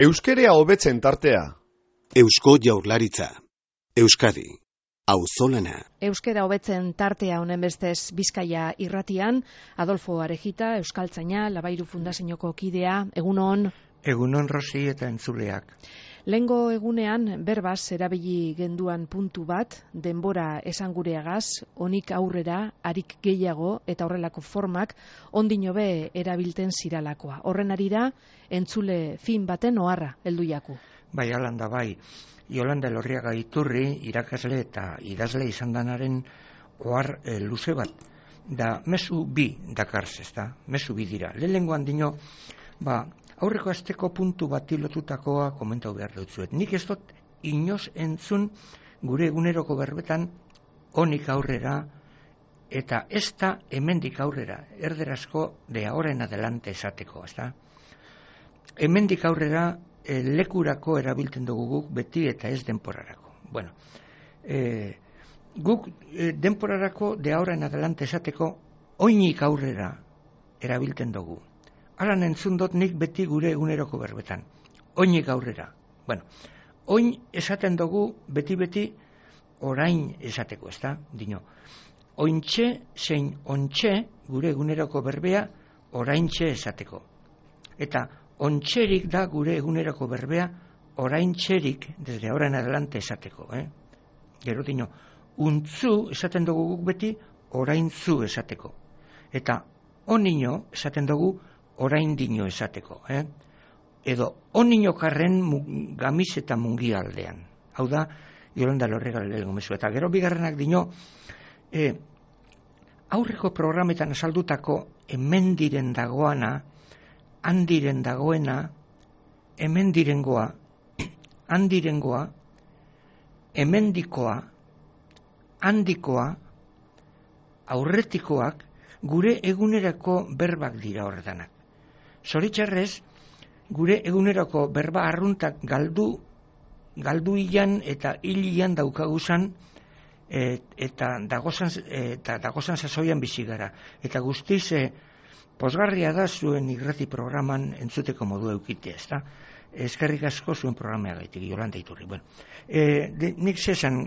Euskerea hobetzen tartea. Eusko Jaurlaritza. Euskadi. Auzolana. Euskera hobetzen tartea honen bestez Bizkaia irratian, Adolfo Arejita, euskaltzaina, Labairu Fundazioko kidea, egunon. Egunon Rosi eta entzuleak. Lehengo egunean berbaz erabili genduan puntu bat, denbora esangureagaz, onik aurrera, harik gehiago eta horrelako formak ondino be erabilten ziralakoa. Horren arira, entzule fin baten oharra heldu jaku. Bai, alanda bai. Jolanda Elorriaga Iturri, irakasle eta idazle izan danaren ohar luze bat. Da, mezu bi dakarz, ezta? Mezu bi dira. Lehengoan dino, aurreko asteko puntu bat lotutakoa komentau behar dutzuet. Nik ez dut inoz entzun gure eguneroko berbetan onik aurrera eta ez da hemendik aurrera, erderazko de ahora en adelante esateko, ezta? Hemendik aurrera lekurako erabiltzen dugu guk beti eta ez denporarako. Bueno, guk denporarako de ahora en adelante esateko oinik aurrera erabiltzen dugu. Alan entzun dut nik beti gure eguneroko berbetan. Oinik aurrera. Bueno, oin esaten dugu beti orain esateko, ezta? Dino, ointxe zein ontxe gure eguneroko berbea oraintxe esateko. Eta ontxerik da gure eguneroko berbea oraintxerik desde ahora en adelante esateko. Gero dino, untzu esaten dugu guk beti oraintzu esateko. Eta onino esaten dugu orain dino esateko. Edo onino karren gamiz eta mungi aldean. Hau da, Jolanda Elorriaga lehengo. Eta gero bigarrenak dino, aurreko programetan azaldutako hemendiren dagoana, handiren dagoena, hemendirengoa, handirengoa, hemendikoa, handikoa, aurretikoak, gure egunerako berbak dira horretanak. Zoritxarrez, gure egunerako berba arruntak galdu ilan eta hilian daukaguzan eta dagozan sasoian bizi gara. Eta guztiz pozgarria da zuen irrati programan entzuteko modu eukitea, ezta? Eskerrik asko zuen programea gaitik, Jolanda Iturri. Bueno, nik zesan,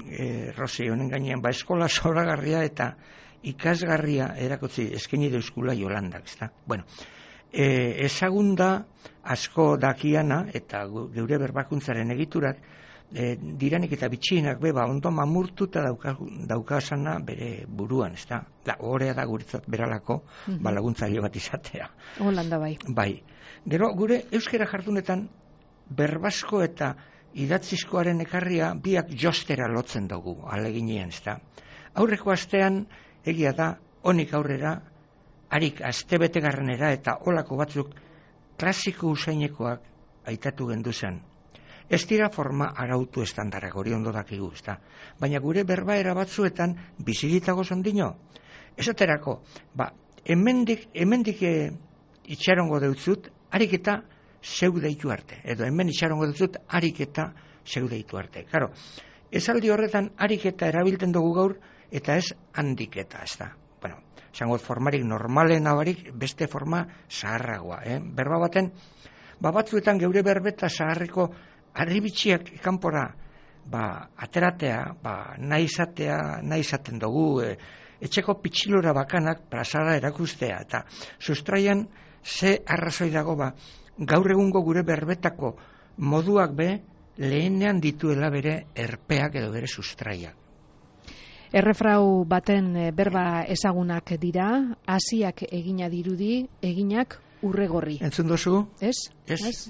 Rosi, honen gainean, eskola zoragarria eta ikasgarria erakutsi eskaini deuskula Jolandak, ezta? Bueno, ezagunda asko dakiana eta geure berbakuntzaren egiturak diranik eta bitxienak ondo mamurtuta daukasana bere buruan, ezta? Horea da guretzat beralako laguntzaile bat izatea. Holanda bai. Bai. Gero gure euskera jardunetan berbasko eta idatzizkoaren ekarria biak jostera lotzen dugu, aleginean, ezta? Aurreko astean egia da onik aurrera harik astebetegarrenera eta olako batzuk klasiko usainekoak aitatu genduzan. Ez dira forma arautu estandarrak hori ondo dakigu, ezta? Baina gure berbaera batzuetan bizigitago zondino. Esaterako, hemendik itxarongo deutzut, harik eta zeu deitu arte. Edo hemen itxarongo deutzut, harik eta zeu deitu arte. Karo, esaldi horretan harik eta erabiltzen dugu gaur, eta ez handik eta, ezta? Bueno, zango formarik normalen abarik beste forma zaharragoa. Berba baten, batzuetan geure berbeta zaharreko arribitxiak kanpora ateratea, nahi izaten dugu, etxeko pitxilora bakanak plazara erakustea, eta sustraian ze arrazoi dago gaur egungo gure berbetako moduak lehenean dituela bere erpeak edo bere sustraiak. Errefrau baten berba ezagunak dira, hasiak egina dirudi, eginak urregorri. Entzun dozu? Ez?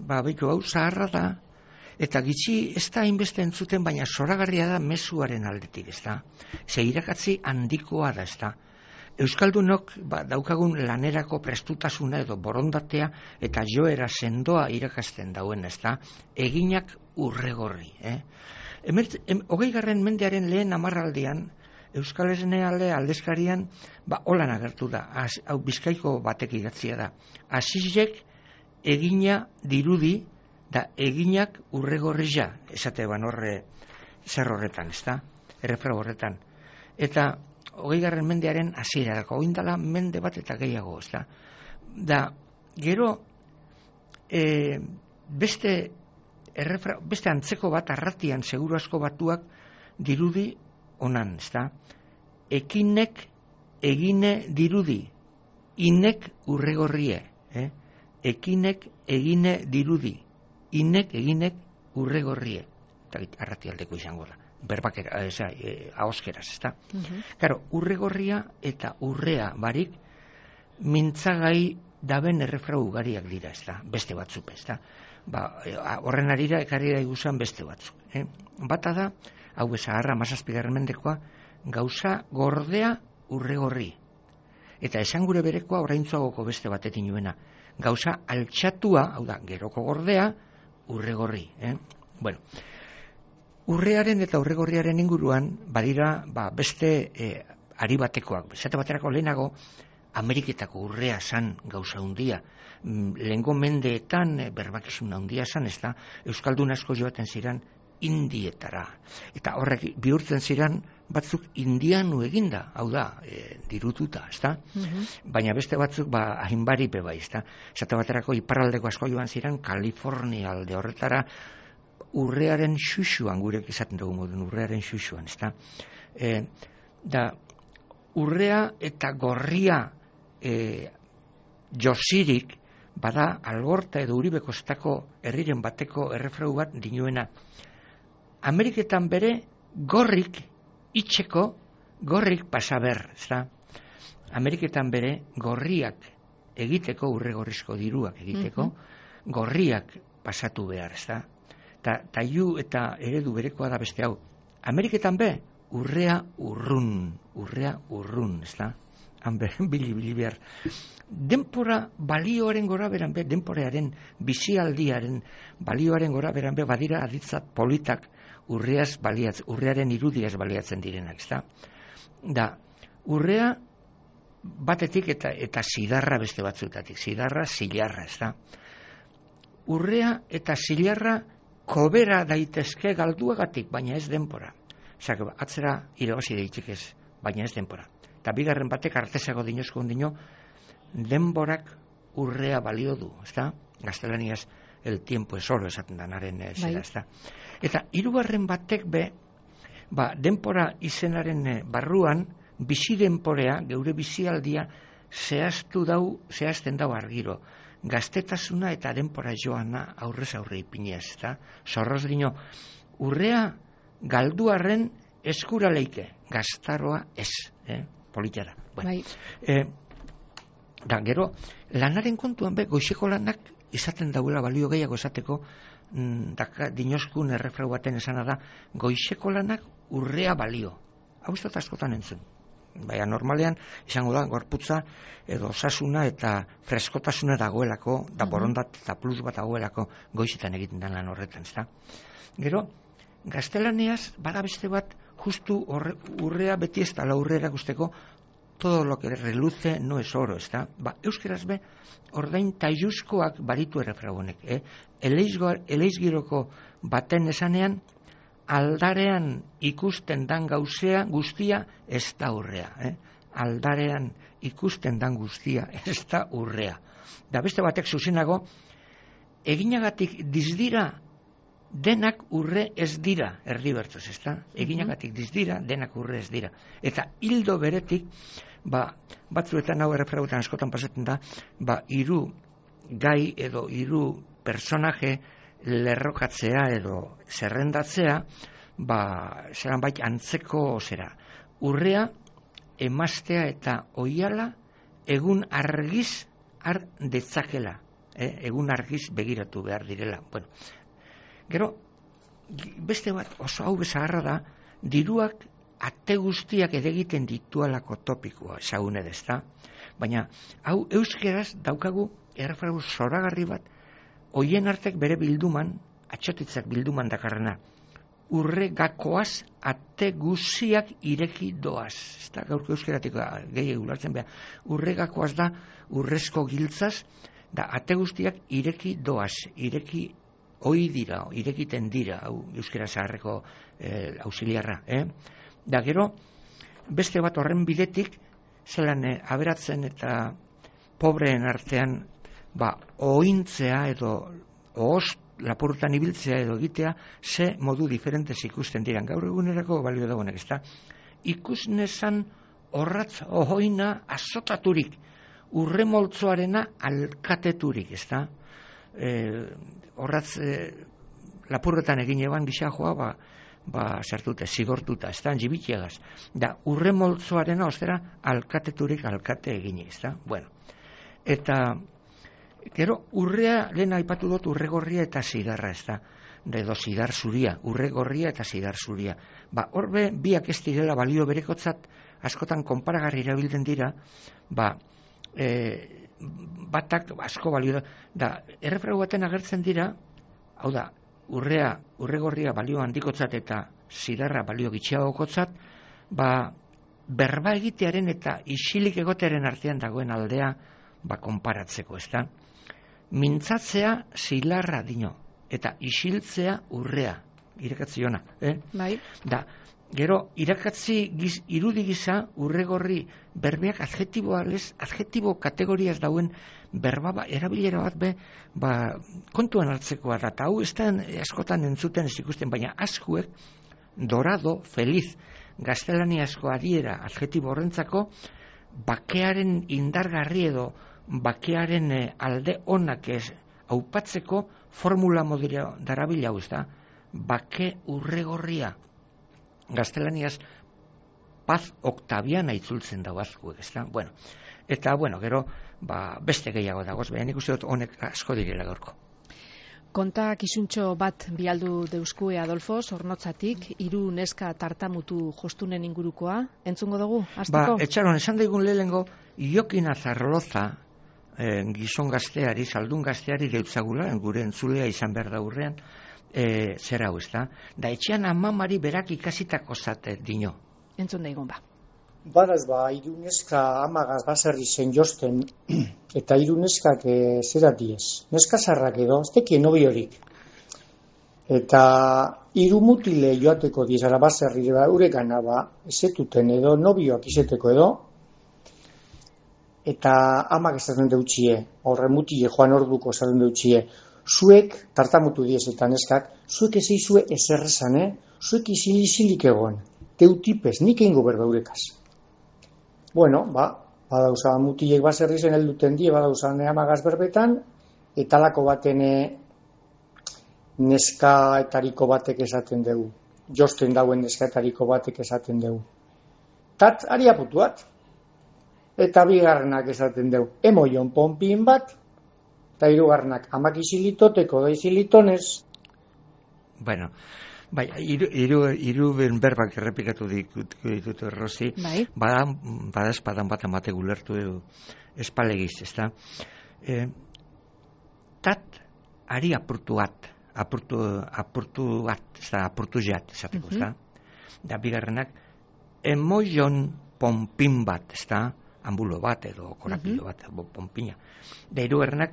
Baitu hau zaharra da, eta gitxi ez da hainbeste entzuten, baina zoragarria da mezuaren aldetik, ez da? Ze irakatzi handikoa da, ez da? Euskaldunok daukagun lanerako prestutasuna edo borondatea eta joera sendoa irakasten dauen, ez da? Eginak urregorri. 20. mendearen lehen hamarraldian, Euskal Esnealde aldezkarian holan agertu da, hau Bizkaiko batek idatzia da. Asizek egina dirudi da eginak urregorria, esate horre zer horretan, ezta? Errefrau horretan. Eta 20. mendearen hasierarako, oindala mende bat eta gehiago, ezta? Da, gero beste beste antzeko bat arratian seguru asko batuak dirudi onan, ezta? Ekinek egine dirudi, inek urregorrie, ekinek egine dirudi, inek eginek urregorrie. Arratialdeko izango da. Berbakera, ahoskeraz, ezta? Claro, urregorria eta urrea barik mintzagai daben errefrau ugariak dira, ezta? Beste batzuk, ezta? Horren arira ekarri da iguzan beste batzuk. Bata da, hau Zaharra 17. mendekoa, gauza gordea urregorri. Eta esan gure berekoa oraintzuagoko beste batetik nuena. Gauza altxatua, hau da, geroko gordea, urregorri. Bueno, urrearen eta urregorriaren inguruan, badira, beste ari batekoak. Esate baterako lehenago, Ameriketako urrea zan gauza hundia. Lehengo mendeetan berbakizun handia zan, ez da, Euskaldun asko joaten ziren Indietara. Eta horrek bihurtzen ziren batzuk indianu eginda, hau da, dirututa, ez da? Baina beste batzuk, hainbari bebai, ez da? Esate baterako iparraldeko asko joan ziren Kalifornia alde horretara, urrearen xuxuan, gurek izaten dugu modun, urrearen xuxuan, ez da? Da, urrea eta gorria josirik, bada Algorta edo Uribekostako herriren bateko errefrau bat dinuena. Ameriketan bere gorrik itxeko, gorrik pasaber, ez da? Ameriketan bere gorriak egiteko, urregorrizko diruak egiteko, gorriak pasatu behar, ez da? Taiu eta eredu berekoa da beste hau. Ameriketan be, urrea urrun, ez da? Bili behar. Denpora balioaren gora beran be, denporearen bizialdiaren balioaren gora beran be, badira aditzat politak urrearen irudiaz baliatzen direnak, ez da? Da, urrea batetik eta zidarra beste batzutatik, zidarra, zilarra, ez da? Urrea eta zilarra kobera daitezke galduagatik, baina ez denpora. Zak, atzera irabazi deitik ez, baina ez denpora. Eta bigarren batek artesago dinozko ondino, denborak urrea balio du, ez da? Gaztelaniaz, el tiempo es oro esaten danaren zera, ez da? Eta hirugarren batek be, denpora izenaren barruan, bizi denporea, geure bizialdia, zehazten dau argiro. Gaztetasuna eta denpora joana aurrez aurre ipinez, ez da? Zorroz dino, urrea galduarren eskura leike, gaztaroa ez, politara. Bueno. Da, gero, lanaren kontuan be, goizeko lanak izaten dauela balio gehiago esateko, dinoskun errefrau baten esana da, goizeko lanak urrea balio. Hau ez dut askotan entzun. Baina normalean, izango da, gorputza edo osasuna eta freskotasuna dagoelako, da borondat eta plus bat dagoelako goizetan egiten den lan horretan, ez da? Gero, gaztelaneaz, bada beste bat, justu urrea beti ez da urrea guzteko, todo lo que reluce no es oro, ez da? Euskeraz be, ordain taiuzkoak baritu errefrau honek, eleizgiroko baten esanean, aldarean ikusten dan gauzea guztia ez da urrea. Aldarean ikusten dan guztia ez da urrea. Da beste batek zuzenago, eginagatik dizdira, denak urre ez dira, erdi bertuz, ez da? Eginagatik dizdira, denak urre ez dira. Eta hildo beretik, batzuetan hau errefrautan askotan pasatzen da, hiru gai edo hiru personaje lerrokatzea edo zerrendatzea, zeran bait antzeko zera. Urrea, emaztea eta oiala egun argiz har detzakela. Egun argiz begiratu behar direla. Bueno, gero, beste bat oso hau Zaharra da, diruak ate guztiak edegiten ditualako topikoa, ezagun edezta. Baina, hau euskeraz daukagu errefrau zoragarri bat, hoien artek bere bilduman, atxotitzak bilduman dakarrena, urregakoaz ate guziak ireki doaz. Ez da, gaurko euskeratik gehi ulartzen behar. Urregakoaz da urrezko giltzaz, da ate guztiak ireki doaz, ireki hoi dira, irekiten dira, hau euskera zaharreko auxiliarra. Da gero, beste bat horren bidetik, zelan aberatzen eta pobreen artean, ointzea edo lapurretan ibiltzea edo egitea, ze modu diferentez ikusten diran. Gaur egunerako balio dagoenak, ezta? Ikusnezan orratz ohoina azotaturik, urremoltzoarena alkateturik, ezta? Orratz lapurretan egin eban gixajoa, sartute, zigortuta, ezta? Jibitiagaz. Da, urremoltzoarena, ostera, alkateturik alkate egin, ezta? Bueno, eta gero, urrea, lehen aipatu dut, urregorria eta zidarra, ezta? Edo zidar zuria, urregorria eta zidar zuria. Horbe, biak ez direla balio berekotzat, askotan konparagarri erabiltzen dira, batak asko balio da, errefragu baten agertzen dira, hau da, urregorria balio handikotzat eta zidarra balio gitxiagokotzat, berba egitearen eta isilik egotearen artean dagoen aldea, konparatzeko, ezta? Mintzatzea zilarra dino, eta isiltzea urrea, irakatziona, Bai. Da, gero, irakatzi irudi gisa urregorri berbeak adjetibo kategoriaz dauen berba erabilera bat kontuan hartzekoa da, eta hau ez da askotan entzuten ez ikusten, baina askuek dorado, feliz, gaztelaniazko adiera adjetibo horrentzako bakearen indargarri edo bakearen alde onak ez aupatzeko formula modera darabila hau, ez da? Bake urregorria. Gaztelaniaz paz octaviana itzultzen dago azkuek, ez da? Bueno, eta, gero, beste gehiago dagoz, baina nik uste dut honek asko direla gaurko. Konta kizuntxo bat bialdu deuskue Adolfo, Zornotzatik, 3 neska tartamutu jostunen ingurukoa. Entzungo dugu, hasteko? Etxaron, esan daigun lehengo, Jokin Azarloza, gizon gazteari, saldun gazteari deutzagula, gure entzulea izan behar da urrean, zera hau, ez da? Da, etxean amamari berak ikasitako zate dino. Entzun daigun Badaz, 3 neska amagaz baserri zen josten, eta 3 neskak zera diez. Neska zarrak edo, ez tekien nobi horik. Eta 3 mutile joateko diezara baserri, urekana ezetuten edo, nobioak izeteko edo, eta amak esaten deutxie, horre mutile joan orduko esaten deutxie, zuek, tartamutu diezetan neskak, zuek ezeizue ezerrezan, zuek isilik egon, teutipez, nik eingo berba urekaz. Bueno, badauza mutilek baserri zen helduten die, badauza amagaz berbetan, eta lako baten neskaetariko batek esaten dugu. Josten dauen neskaetariko batek esaten dugu. Tat, ari aputuat. Eta bigarrenak esaten dugu. Emoion ponpin bat, eta 3 amak isilitoteko da isilitonez. Bueno, hiru berbak errepikatu ditut Rosi, bada espadan bat amate gulertu espalegiz, ez da? Tat, ari apurtu jat, esateko, ez da? Da bigarrenak, emoion ponpin bat, ez da? Ambulo bat edo korapilo bat, ponpina. Da 3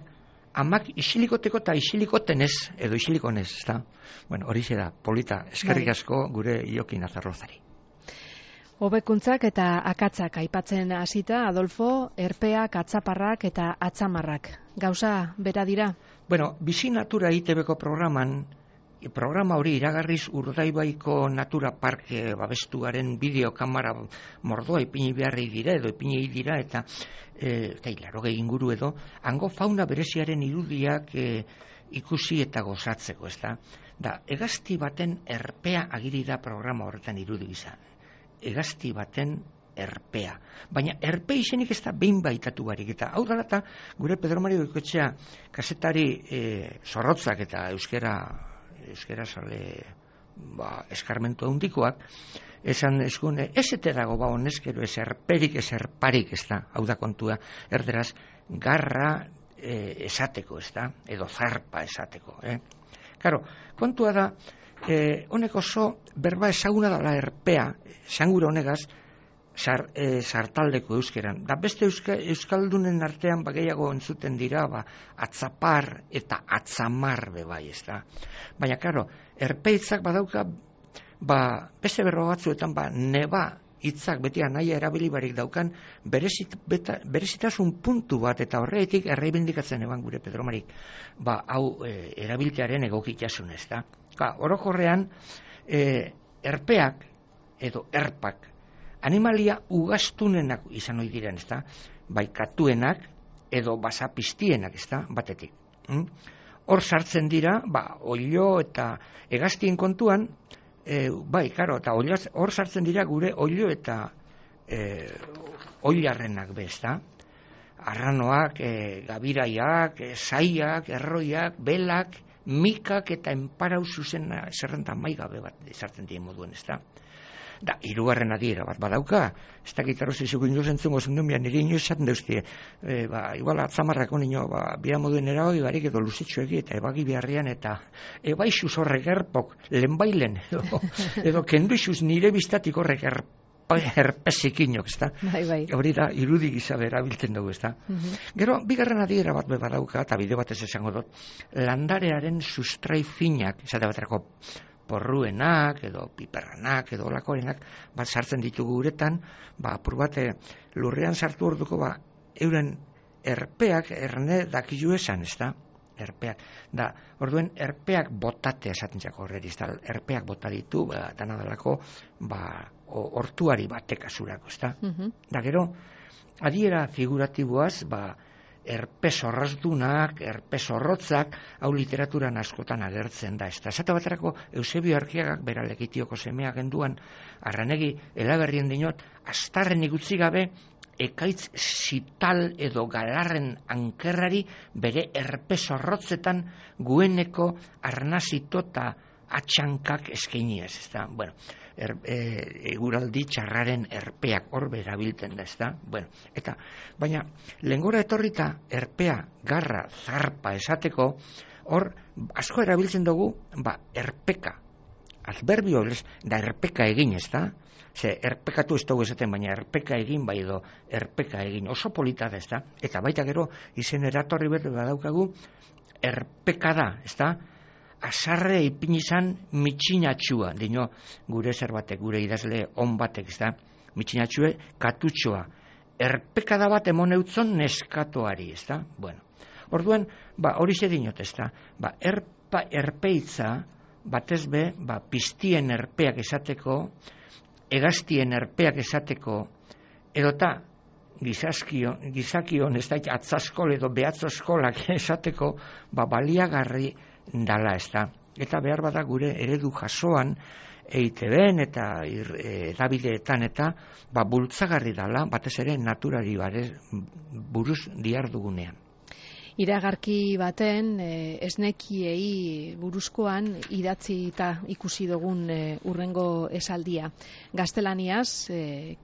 amak isilikoteko eta isilikoten ez, edo isilikonez, ez da? Bueno, hori da, polita, eskerrik asko gure Jokin Azarlozari. Hobekuntzak eta akatzak aipatzen hasita, Adolfo, erpeak, atzaparrak eta atzamarrak. Gauza bera dira? Bueno, Bizi Natura ITB-ko programa hori iragarriz Urdaibaiko Natura Parke babestuaren bideokamara mordoa ipini beharri dira edo ipini dira eta 80 inguru edo hango fauna bereziaren irudiak ikusi eta gozatzeko, ez da? Da, hegazti baten erpea agiri da programa horretan irudi gisa. Hegazti baten erpea. Baina erpe izenik ez da behin baitatu barik. Eta hau dara eta gure Pedro Mario Goikoetxea kazetari zorrotzak eta euskera sale eskarmentu handikoak, esan eskune, ez ete dago honezkero ez erperik, ez erparik, ez da, hau da kontua, erderaz, garra esateko, ez da, edo zarpa esateko. Karo, kontua da, honek oso berba ezaguna dela erpea, esangura honegaz, sartaldeko euskeran. Da beste euskaldunen artean gehiago entzuten dira, atzapar eta atzamar bebai, ez da. Baina, karo, erpeitzak badauka, beste berro batzuetan, neba hitzak beti anaia erabili barik daukan berezitasun puntu bat, eta horretik erreibindikatzen eban gure Pedro Marik, hau erabiltearen egokitasun, ez da. Orokorrean, erpeak edo erpak, animalia ugaztunenak izan ohi diren, ez da, bai katuenak edo basapistienak, ez da, batetik. Hor sartzen dira, oilo eta hegaztien kontuan, eta hor sartzen dira gure oilo eta oilarrenak bezta. Arranoak, gabiraiak, saiak, erroiak, belak, mikak eta enparau zuzena zerrenta maigabe bat sartzen dien moduen, ez da. Da, hirugarren adiera bat badauka, ez da gitarrozi zuko inoz entzungo zundumian, nire inoz esaten dauztie, igual atzamarrako nino, bia moduen eragoi barik edo luzitxoegi eta ebagi beharrian eta ebaixuz horrek erpok, lehenbailen, edo kenduizuz nire biztatik horrek herpesik inok, ez da? Bai. Hori da, irudi gisa erabiltzen dugu, ez da? Gero, bigarren adiera bat badauka, eta bide batez esango dut, landarearen sustrai finak, esate baterako porruenak, edo piperranak, edo olakorenak, sartzen ditugu uretan, apur bate lurrean sartu orduko, euren erpeak erne dakilu esan, ez da? Erpeak. Da, orduen erpeak botate esaten txako horreriz, da, erpeak bota ditu, dana dalako, hortuari batek azurako, ez da? Da, gero, adiera figuratiboaz, erpes horrazdunak, erpes horrotzak, hau literaturan askotan agertzen da. Esate baterako, Eusebio Argiagak bera legitioko semea genduan, arranegi, elaberrien dinot, astarrenik utzi gabe, ekaitz zital edo galarren ankerrari bere erpes horrotzetan gueneko arnazito eta atxankak eskainiez, ez da? Bueno, eguraldi txarraren erpeak hor berabilten da, ez da? Bueno, eta, baina, lehengora etorrita erpea, garra, zarpa esateko, hor, asko erabiltzen dugu, erpeka, adverbio, da erpeka egin, ez da? Ze, erpekatu ez dugu esaten, baina erpeka egin, bai edo, erpeka egin, oso polita da, ez da? Eta baita gero, izen eratorri bat badaukagu, erpeka da, ez da? Azarre ipin izan mitxinatxua, dino gure zer batek, gure idazle on batek, ez da, mitxinatxue katutxoa, erpekada bat emon eutzon neskatoari, ez da, bueno, orduan, hori ze dinot, ez da, erpeitza, batez be, piztien erpeak esateko, hegaztien erpeak esateko, edota, gizakion, ez da, atzaskol edo behatzoskolak esateko, baliagarri dala, ez da. Eta behar bada gure eredu jasoan EITB-en eta edabideetan eta bultzagarri dala, batez ere naturari buruz diardugunean. Iragarki baten esnekiei buruzkoan idatzi eta ikusi dugun urrengo esaldia. Gaztelaniaz,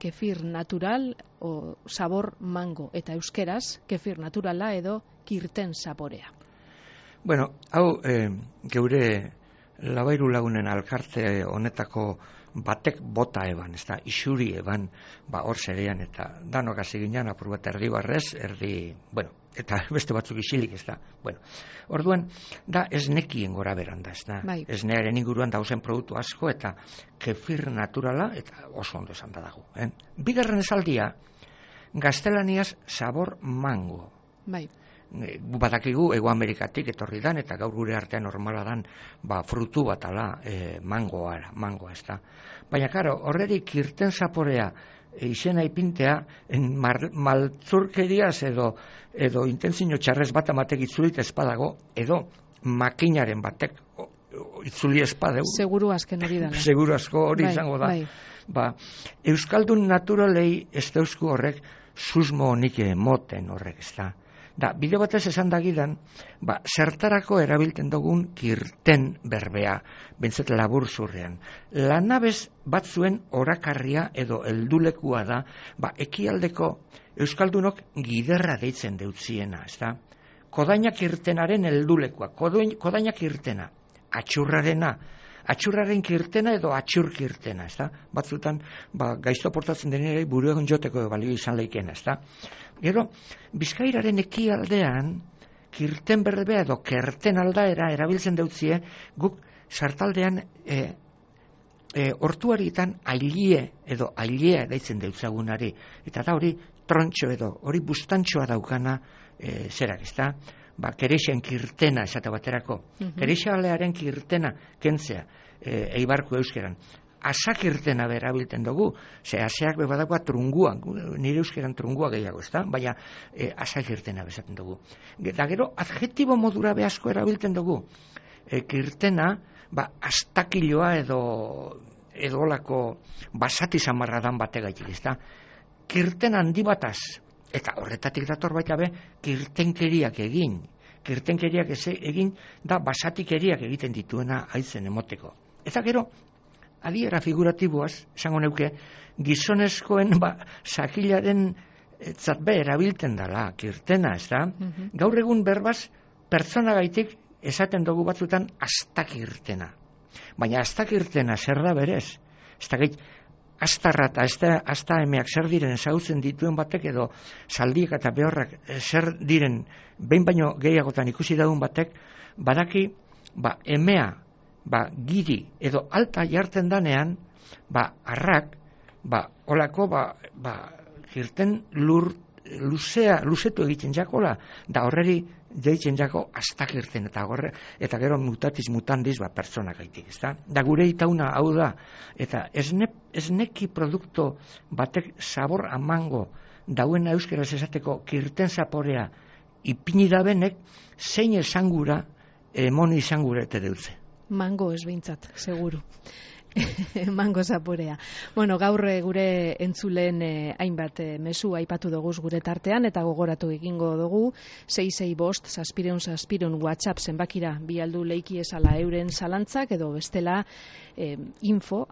kefir natural o sabor mango, eta euskeraz, kefir naturala edo kirten saborea. Bueno, hau geure Labairu Lagunen alkarte honetako batek bota eban, ez da, isuri eban, hor zerean, eta danok hasi ginen, apur bat erdi barrez, eta beste batzuk isilik, ez da, bueno, orduan, da esnekien gora beran da, ez da, esnearen inguruan dauzen produktu asko, eta kefir naturala, eta oso ondo esan da dago. Bigarren esaldia, gaztelaniaz sabor mango. Bai. Badakigu Hego Amerikatik etorri dan, eta gaur gure artean normala dan, frutu bat ala mangoa, ez da. Baina, karo, horrerik kirten zaporea izena ipintea maltzurkeriaz edo intentzio txarrez bat amatek itzulit espadago, edo makinaren batek itzuli espadeu. Seguru azken hori dala. Seguru asko hori izango da. Euskaldun naturalei ez dauzku horrek susmo honik moten horrek, ez da. Da, bide batez esan dagidan, zertarako erabilten dugun kirten berbea, bentzet labur zurrean. Lanabez batzuen orakarria edo heldulekua da, ekialdeko euskaldunok giderra deitzen deutziena, ez da? Kodainak irtenaren heldulekua, kodainak irtena, atxurraren kirtena edo atxurkirtena, ez da? Batzutan, gaizto portatzen denera buruegon joteko balio izan leikena, ez da? Gero, Bizkairaren ekialdean, kirten berbea edo kerten aldaera erabiltzen deutzie, guk sartaldean hortuarietan ailie edo ailea daitzen deutzagunari, eta da hori trontxo edo hori bustantxoa daukana zerak, ezta? Kerexen kirtena esate baterako. Kerexalearen kirtena kentzea eibarko euskeran. Asak irtena berabilten dugu, ze aseak bebadakoa trungua, nire euskeran trungua gehiago, ezta? Baina asak irtena bezaten dugu. Eta gero, adjetibo modura behasko erabilten dugu. Kirtena, astakiloa edo olako basati samarradan bategaitik, ezta? Kirten handi bataz, eta horretatik dator baita be, kirtenkeriak egin. Kirtenkeriak egin da basatikeriak egiten dituena haitzen emoteko. Eta gero, adiera figuratiboaz, esango neuke, gizonezkoen sakilaren zatbe erabilten dala, kirtena, ez da? Gaur egun berbaz, pertsonagaitik esaten dugu batzutan astakirtena. Baina astakirtena zer da berez? Ez da gait, astarra eta asta emeak zer diren ezagutzen dituen batek edo zaldiek eta behorrak zer diren behin baino gehiagotan ikusi daun batek, badaki emea giri edo alta jartzen danean, arrak, olako, girten luzetu egiten jakola, da horreri deitzen jako astakirten, eta gero mutatis mutandis pertsonak gaitik, ezta? Da gure itauna hau da, eta esneki produkto batek sabor amango dauen euskeraz esateko kirten zaporea ipini dabenek, zein esangura emoni izangura ete deutze. Mango ez behintzat, seguru. Mango zaporea. Bueno, gaur gure entzulen hainbat mezu aipatu dugu gure tartean, eta gogoratu egingo dugu 665-666 WhatsApp zenbakira bialdu leiki esala euren zalantzak, edo bestela info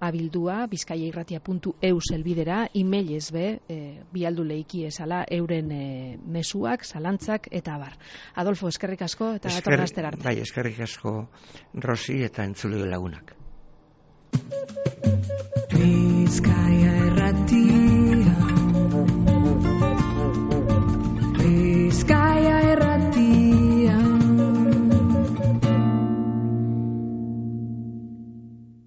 bizkaiairratia.eus elbidera, emailez bialdu leiki esala euren mezuak, zalantzak eta abar. Adolfo, eskerrik asko eta datorren astera arte. Bai, eskerrik asko Rosi eta entzule lagunak. Bizkaia Irratia.